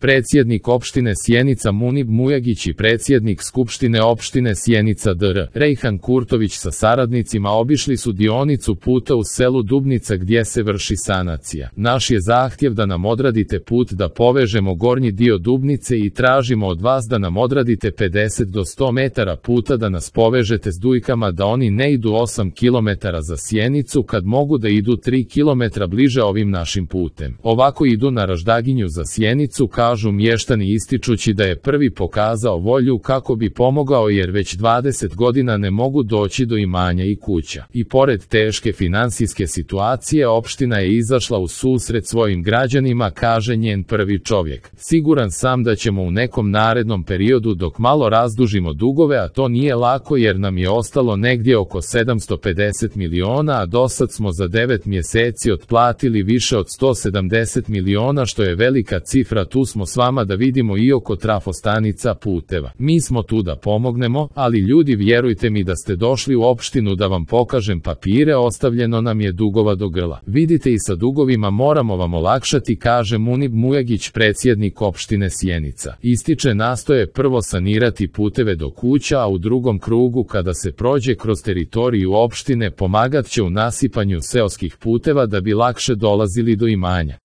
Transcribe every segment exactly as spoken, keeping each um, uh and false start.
predsjednik opštine Sjenica Munib Mujagić i predsjednik Skupštine opštine Sjenica dr. Rejhan Kurtović sa saradnicima obišli su dionicu puta u selu Dubnica gdje se vrši sanacija. Naš je zahtjev da nam odradite put da povežemo gornji dio Dubnice i tražimo od vas da nam odradite pedeset do sto metara puta da nas povežete s Dujkama da oni ne idu osam kilometara za Sjenicu kad mogu da idu tri kilometra bliže ovim našim putem. Ovako idu na Raždaginju za Sjenicu, kažu mještani ističući da je prvi pokazao volju kako bi pomogao jer već dvadeset godina ne mogu doći do imanja i kuća. I pored teške finansijske situacije opština je izašla u susret svojim građanima, kaže njen prvi čovjek. Siguran sam da ćemo u nekom narednom periodu dok malo razdužimo dugove, a to nije lako jer nam je ostalo negdje oko sedamsto pedeset miliona, a dosad smo za devet mjeseci otplatili više od sto sedamdeset miliona, što je velika cifra. Tu smo s vama da vidimo i oko trafostanica, puteva. Mi smo tu da pomognemo, ali ljudi, vjerujte mi da ste došli u opštinu da vam pokažem papire, ostavljeno nam je dugova do grla. Vidite i sa dugovima moramo vam olakšati, kaže Munib Mujagić, predsjednik opštine Sjenica. Ističe nastoje prvo sanirati puteve do kuća, a u drugom krugu kada se prođe kroz teritoriju opštine pomagat će u nasipanju seoskih puteva da bi lakše dolazili do imanja.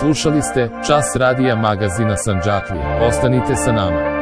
Slušali ste Čas radija magazina Sandžaklija. Ostanite sa nama.